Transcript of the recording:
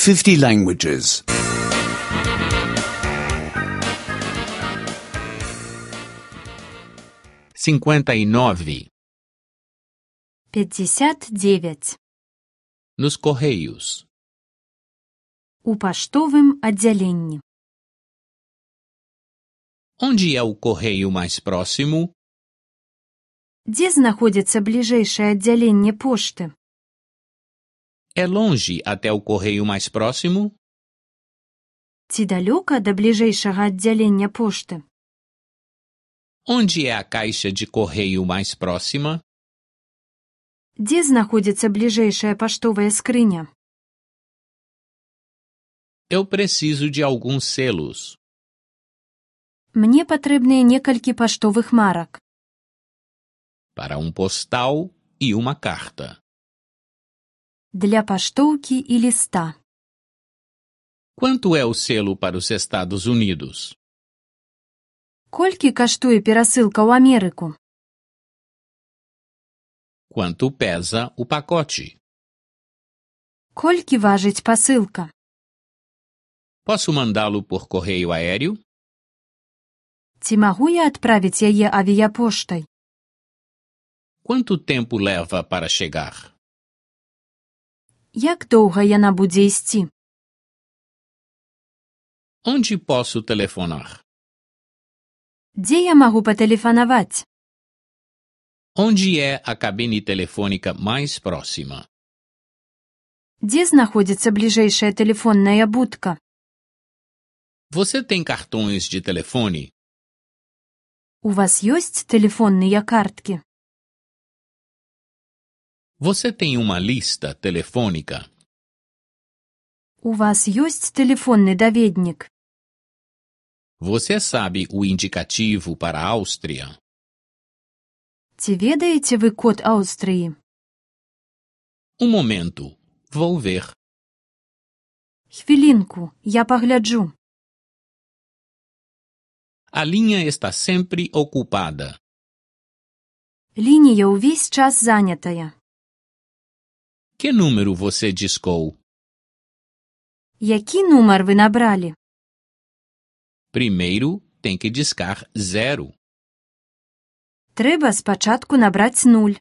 50 languages. 59. 59. Nos correios. У паштовым аддзяленні. Onde é o correio mais próximo? Дзе знаходзіцца бліжэйшае аддзяленне пошты? É longe até o correio mais próximo? Ці далёка да бліжэйшага аддзялення пошты? Onde é a caixa de correio mais próxima? Дзе знаходзіцца бліжэйшая паштовая скрыня? Eu preciso de alguns selos. Мне патрэбныя некалькі паштовых марак. Para um postal e uma carta. Для паштоўкі і ліста. Quanto é o selo para os Estados Unidos? Колькі каштуе перасылка ў Амерыку? Quanto pesa o pacote? Колькі важыць пасылка? Posso mandá-lo por correio aéreo? Ці магу я адправіць яе авіяпоштай? Quanto tempo leva para chegar? Як доўга яна будзе ісці? Onde posso telefonar? Дзе я магу патэлефанаваць? Onde é a cabine telefônica mais próxima? Дзе знаходзіцца бліжэйшая тэлефонная будка? Você tem cartões de telefone? У вас ёсць тэлефонныя карткі? Você tem uma lista telefônica? У вас ёсць тэлефонны даведнік? Você sabe o indicativo para a Áustria? Ці ведаеце вы код Аўстрыі? Momento. Vou ver. Хвілінку, я пагляджу. A linha está sempre ocupada. Лінія ўвесь час занятая. Que número você discou? Які нумар вы набралі? Primeiro tem que discar zero. Трэба спачатку набраць нуль.